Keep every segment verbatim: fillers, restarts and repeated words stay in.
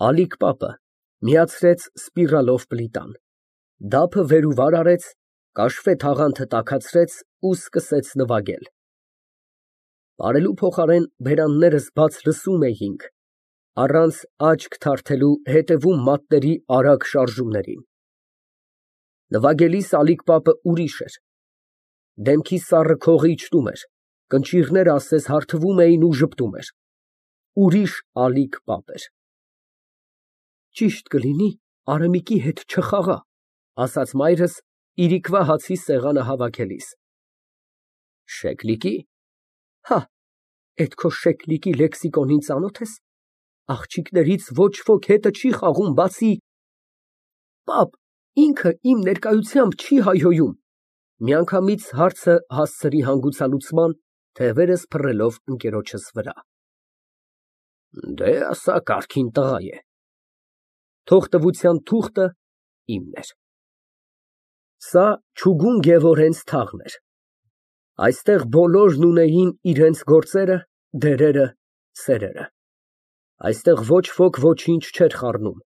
Ալիք պապը միացրեց սպիրալով պլիտան, դափը վեր ու վար արեց, կաշվե թաղանթը տաքացրեց ու սկսեց նվագել։ Բարելու փոխարեն բերաններս բաց լսում էինք, առանց աչք թարթելու հետևում մատների արագ շարժումներին։ Նվագելիս Ալիք պապը ուրիշ էր, դեմքի սառը քողը իջնում էր, կնճիռները ասես հարթվում էին ու ժպտում էր, ուրիշ Ալիք պապ էր։ Ճիշտ կլինի Արամիկի հետ չխաղա, ասաց մայրս իրիկվա հացի սեղանը հավաքելիս։ Շեյխլիկի՞։ Հա, էդ քո Շեյխլիկի լեքսիկոնին ծանոթ ես, աղջիկներից ոչ ոք հետը չի խաղում, բացի… Պապ, ինքը իմ ներկայությամբ չի հայհոյում։ Միանգամից հարցը հասցրի հանգուցալուծման, թևերս փռելով ընկերոջս վրա։ Դե ասա կարգին տղա է։ Թողտվության թուղթը իմն էր։ Սա չուգուն Գևորգենց թաղն էր։ Այստեղ բոլորն ունեին իրենց գործերը, դերերը, սերերը։ Այստեղ ոչ ոք ոչինչ չէր խառնում,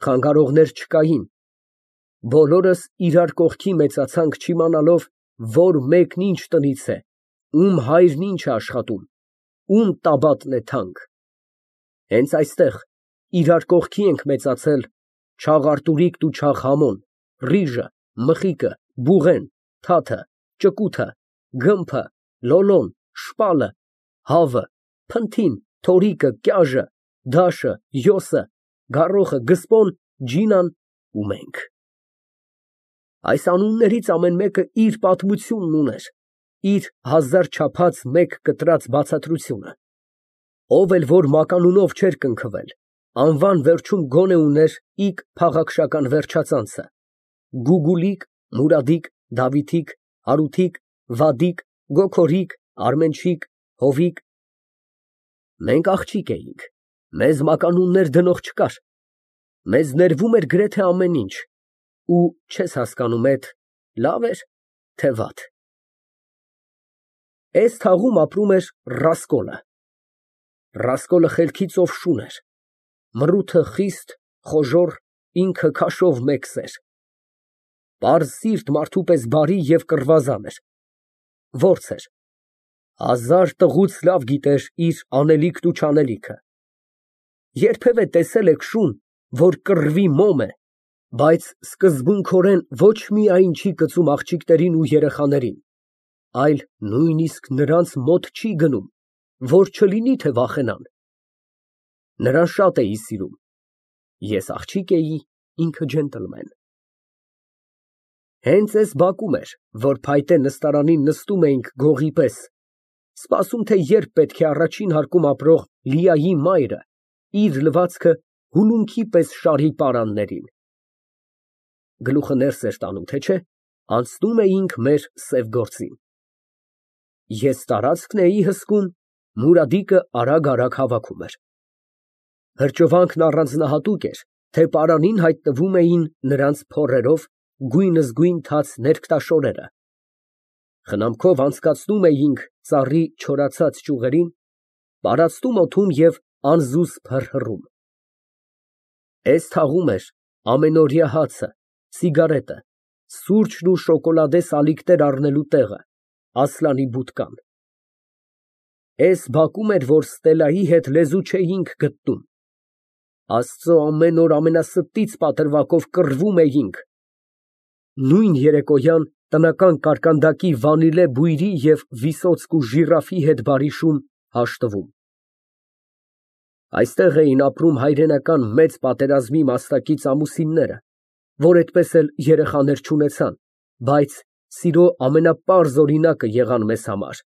խանգարողներ չկային։ Բոլորս իրար կողքի մեծացանք չիմանալով, որ մեկն ինչ տնից է, ում հայրն ինչ է աշխատում, ում տաբատն է թանկ։ Հենց այստեղ իրար կողքի ենք մեծացել Չաղ Արտուրիկն ու Չաղ Համոն, Ռիժը, Մխիկը, Բուղեն, Թաթը, Ճկութը, Գմբը, Լոլոն, Շպալը, Հավը, Փնթին, Թորիկը, Կյաժը, Դաշը, Յոսը, Գառոխը, Գսպոն, Ջինան ու մենք։ Այս անուններից ամեն մեկը իր պատմությունն ուներ, իր հազար չափած մեկ կտրած բացատրությունը։ Ով էլ որ մականունով չէր կնքվել, անվան վերջում գոնե ուներ իկ փաղաքշական վերջածանցը՝ Գուգուլիկ, Մուրադիկ, Դավիթիկ, Հարութիկ, Վադիկ, Գոգորիկ, Արմենչիկ, Հովիկ։ Մենք աղջիկ էինք, մեզ մականուններ դնող չկար, մեզ ներվում էր գրեթե ամեն ինչ, ու չես հասկանում էդ լավ էր, թե վատ։ Էս թաղում ապրում էր Ռասկոլը։ Ռասկոլը խելքի ծովշուն էր, մռութը խիստ, խոժոռ, ինքը քաշով մեկ սեր։ Պարզ սիրտ մարդու պես բարի և կռվազան էր, որց էր, հազար տղուց լավ գիտեր իր անելիքն ու չանելիքը։ Երբևէ տեսե՞լ եք շուն, որ կռվի մոմ է, բայց սկզբունքորեն ոչ միայն չի կծում աղջիկներին ու երեխաներին, այլ նույնիսկ նրանց մոտ չի գնում, որ չլինի թե վախենան։ Նրան շատ էի սիրում, ես աղջիկ էի, ինքը ջենտլմեն։ Հենց էս բակում էր, որ փայտե նստարանին նստում էինք գողի պես, սպասում, թե երբ պետք է առաջին հարկում ապրող Լիայի մայրը իր լվացքը հուլունքի պես շարի պարաններին։ Գլուխը ներս էր տանում, թե չէ, անցնում էինք մեր սև գործին։ Ես տարածքն էի հսկում, Մուրադիկը արագ֊արագ հավաքում էր։ Հրճվանքն առանձնահատուկ էր, թե պարանին հայտնվում էին նրանց փորերով գույնզգույն թաց ներկտաշորերը։ Խնամքով անցկացնում էինք ծառի չորացած ճյուղերին, պարածտում օդում և անզուսպ հռհռում։ Էս թաղում էր ամենօրյա հացը, սիգարետը, սուրճն ու շոկոլադե սալիկներ առնելու տեղը, Ասլանի բուդկան։ Էս բակում էր, որ Ստելայի հետ լեզու չէինք գտնում։ Աստծո ամեն օր ամենաստից պատրվակով կռվում էինք։ Նույն երեկոյան տնական կարկանդակի վանիլե բույրի և Վիսոցկու ժիրաֆի հետ բարի շուն հաշտվում։ Այստեղ էին ապրում հայրենական մեծ պատերազմի մասնակից ամուսինները, որ էդպես էլ երեխաներ չունեցան, բայց սիրո ամենապարզ օրինակը եղան մեզ համար։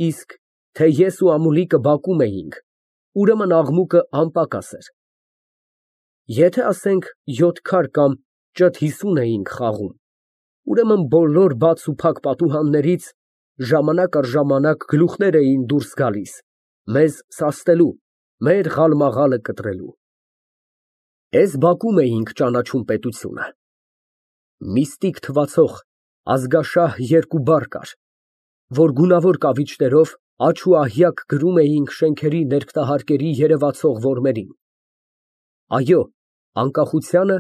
Իսկ թե ես ու Ամուլիկը բակում էինք, ուրեմն աղմուկը անպակաս էր։ Եթե ասենք յոթ քար կամ ճոթ հիսուն էինք խաղում, ուրեմն բոլոր բաց ու փակ պատուհաններից ժամանակ առ ժամանակ գլուխներ էին դուրս գալիս, մեզ սաստելու, մեր ղալմաղալը կտրելու։ Էս բակում էինք ճանաչում պետությունը։ Միստիկ թվացող ազգաշահ երկու բառ կար, որ գունավոր կավիճներով աջ ու ահյակ գրում էինք շենքերի ներկտահարկերի երևացող որմերին։ Այո, անկախությանը,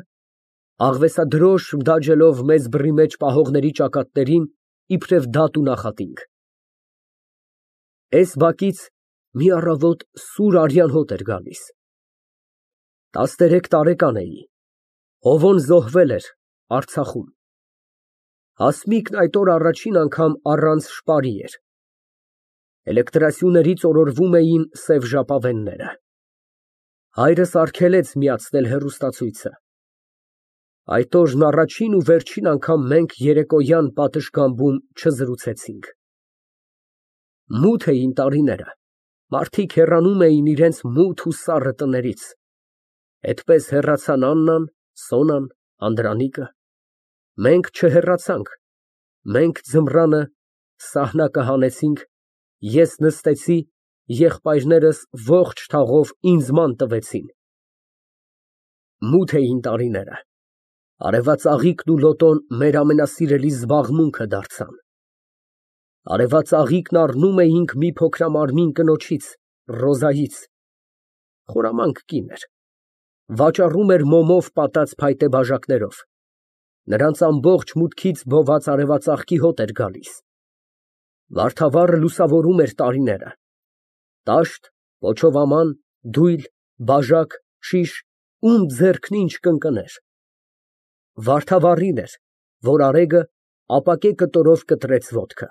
աղվեսադրոշ դաջելով մեծ բռի մեջ պահողների ճակատներին, իբրև դատ ու նախատինք։ Էս բակից մի առավոտ սուր արյան հոտ էր գալիս։ Տասներեք տարեկան էի, հովոն զոհվել էր Արցախում։ Հասմիկն այդ օր առաջին անգամ առանց շպարի էր։ Էլեկտրասյուներից օրորվում էին սև ժապավենները։ Հայրս արգելեց միացնել հեռուստացույցը։ Այդ օրն առաջին ու վերջին անգամ մենք երեկոյան պատշգամբում չզրուցեցինք։ Մութ էին տարիները, մարդիկ հեռանում էին իրենց մութ ու սառը տներից։ Այդպես հեռացան Աննան, Սոնան, Անդրանիկը։ Մենք չհեռացանք, մենք ձմռանը սահնակը հանեցինք, ես նստեցի, եղբայրներս ողջ թաղով ինձ ման տվեցին։ Մութ էին տարիները, արևածաղիկն ու լոտոն մեր ամենասիրելի զբաղմունքը դարձան։ Արևածաղիկն առնում էինք մի փոքրամարմին կնոջից, Ռոզայից, խորամանկ կին էր, վաճառում էր մոմով պատած փայտե բաժակներով, նրանց ամբողջ մուտքից բոված արևածաղկի հոտ էր գալիս։ Վարդավառը լուսավորում էր տարիները, տաշտ, պոչովաման, դույլ, բաժակ, շիշ, ում ձեռքն ինչ կընկներ։ Վարդավառին էր, որ արեգը ապակե կտորով կտրեց ոտքը։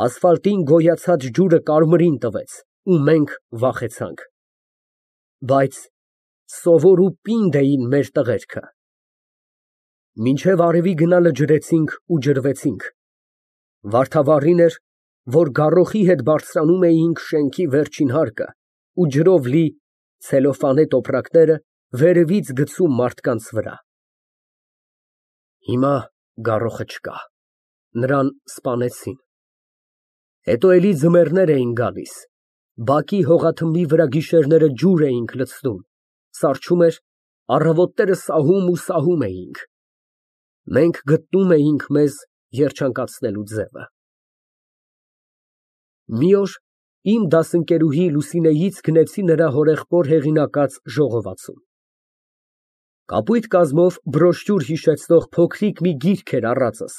Ասֆալտին գոյացած ջուրը կարմիրին տվեց, ու մենք վախեցանք։ Բայց սովոր ու պինդ էին մեր տղերքը։ Մինչև արևի գնալը ջրեցինք ու ջրվեցինք։ Վարդավառին էր, որ գառոխի հետ բարձրանում էինք շենքի վերջին հարկը ու ջրով լի ցելոֆանե տոպրակները վերևից գցում մարդկանց վրա։ Հիմա գառոխը չկա, նրան սպանեցին։ Հետո էլի ձմեռներ էին գալիս, բակի հողաթմբի վրա գիշերները ջուր էինք լցնում, սառչում էր, առավոտները սահում ու սահում էինք։ Մենք գտնում էինք մեզ երջանկացնելու ձևը։ Մի օր իմ դասընկերուհի Լուսինեից գնեցի նրա հորեղբոր հեղինակած ժողովածուն։ Կապույտ կազմով բրոշյուր հիշեցնող փոքրիկ մի գիրք էր առածս,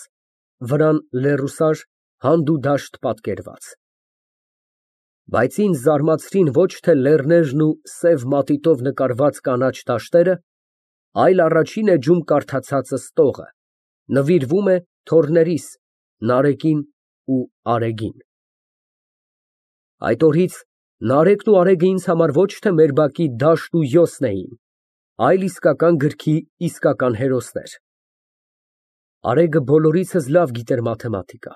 վրան լեռուսար հանդուդաշտ պատկերված։ Բայց ինձ զարմացրին ոչ թե լեռներն ու սև մատիտով նկարված կանաչ դաշտերը, այլ առաջին էջում կարդացածը ստողը, նվիրվում է թոռներիս Նարեկին ու Արեգին։ Այդ օրից Նարեկն ու Արեգը ինձ համար ոչ թե մեր բակի դաշտ ու հյոսն էին, այլ իսկական գրքի իսկական հերոսներ։ Արեգը բոլորիցս լավ գիտեր մաթեմատիկա,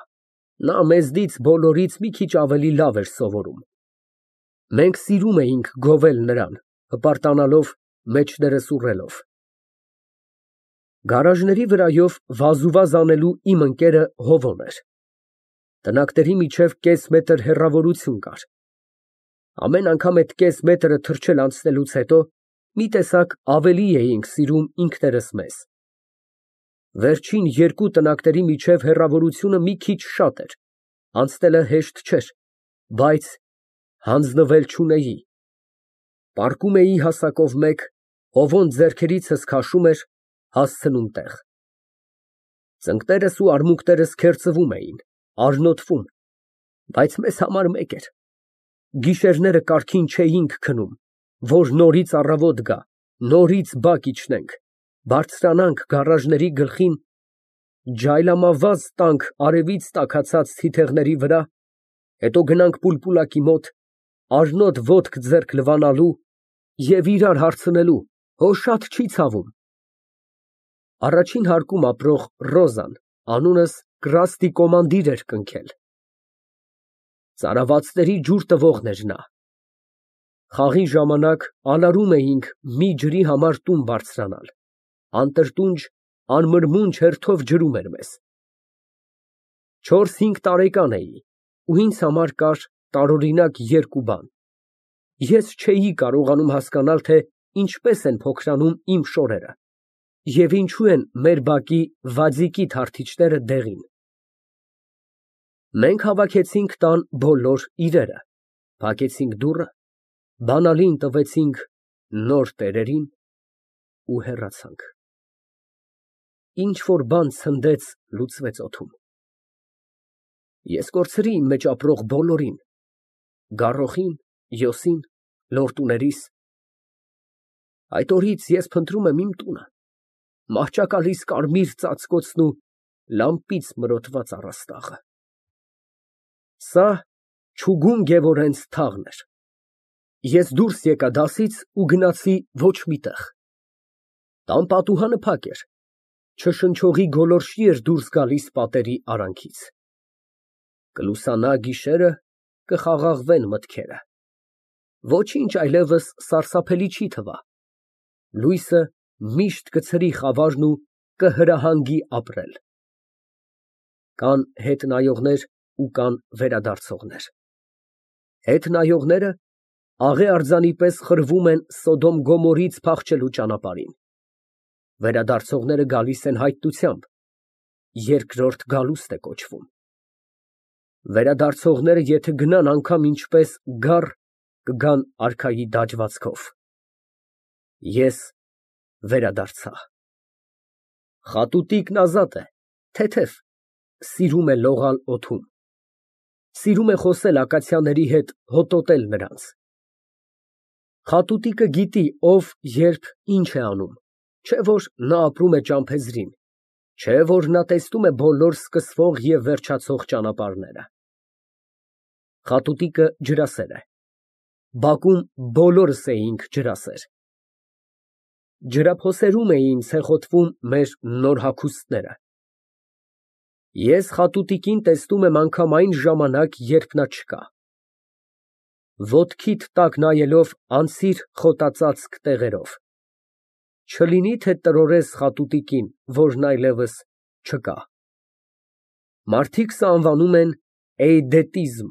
նա մեզնից բոլորից մի քիչ ավելի լավ էր սովորում։ Մենք սիրում էինք գովել նրան, հպարտանալով, մեջներս ուռելով։ Գարաժների վրայով վազուվազ անելու իմ ընկերը Հովոն էր։ Տնակների միջև կես մետր հեռավորություն կար։ Ամեն անգամ այդ կես մետրը թռչել անցնելուց հետո մի տեսակ ավելի էինք սիրում ինքներս մեզ։ Վերջին երկու տնակների միջև հեռավորությունը մի քիչ շատ էր, անցնելը հեշտ չէր, բայց հանձնվել չունեի։ Պառկում էի հասակով մեկ, Հովոն ձեռքերիցս քաշում էր, հասցնում տեղ։ Ծնկներս ու արմունկներս քերծվում էին, արնոտվում, բայց մեզ համար մեկ էր։ Գիշերները կարգին չէինք քնում, որ նորից առավոտ գա, նորից բակ իջնենք, բարձրանանք գարաժների գլխին, ջայլամավազ տանք արևից տաքացած թիթեղների վրա, հետո գնանք պուլպուլակի մոտ, արնոտ ոտք ձեռք լվանալու և իրար հարցնելու, հո շատ չի ցավում։ Առաջին հարկում ապրող Ռոզան անունս Կրաստի կոմանդիր էր կնքել։ Ծարավացների ջուր տվողն էր նա։ Խաղի ժամանակ անարում էինք մի ջրի համար տուն բարձրանալ, անտրտունջ, անմրմունջ հերթով ջրում էր մեզ։ Չորս֊հինգ տարեկան էի ու ինձ համար կար տարօրինակ երկու բան. ես չէի կարողանում հասկանալ, թե ինչպես են փոքրանում իմ շորերը և ինչու են մեր բակի վաձիկի թարթիչները դեղին։ Մենք հավաքեցինք տան բոլոր իրերը, փակեցինք դուռը, բանալին տվեցինք նոր տերերին ու հեռացանք։ Ինչ որ բան ցնդեց, լուծվեց օդում։ Ես կորցրի իմ մեջ ապրող բոլորին, գառոխին, յոսին, լորտուներիս։ Այդ օրից ես փնտրում եմ իմ տունը, մահճակալիս կարմիր ծածկոցն ու լամպից մրոտված առաստաղը։ Սա Չուգուն Գևորգենց թաղն էր։ Ես դուրս եկա դասից ու գնացի ոչ մի տեղ։ Տան պատուհանը փակ էր, չշնչողի գոլորշի էր դուրս գալիս պատերի արանքից։ Կլուսանա գիշերը, կխաղաղվեն մտքերը։ Ոչինչ այլևս սարսափելի չի թվա։ Լույսը միշտ կցրի խավարն ու կհրահանգի ապրել։ Կան հետ նայողներ ու կան վերադարձողներ։ Հետ նայողները աղե արձանի պես խրվում են Սոդոմ Գոմորից փախչելու ճանապարհին։ Վերադարձողները գալիս են հայտնությամբ, երկրորդ գալուստ է կոչվում։ Վերադարձողները եթե գնան անգամ ինչպես գառ, կգան արքայի դաջվածքով։ Ես վերադարձա։ Խատուտիկն ազատ է, թեթև, սիրում է լողալ օդում։ Սիրում է խոսել ակացիաների հետ, հոտոտել նրանց։ Խատուտիկը գիտի ով, երբ, ինչ է անում, չէ որ նա ապրում է ճամփեզրին, չէ որ նա տեսնում է բոլոր սկսվող և վերջացող ճանապարհները։ Խատուտիկը ջրասեր է։ Բակում բոլորս էինք ջրասեր։ Ջրափոսերում էին ցեխոտվում մեր նոր հագուստները։ Ես խատուտիկին տեսնում եմ անգամ այն ժամանակ, երբ նա չկա։ Ոտքիդ տակ նայելով անցիր խոտածածկ տեղերով։ Չլինի թե տրորես խատուտիկին, որն այլևս չկա։ Մարդիկ սա անվանում են էյդետիզմ։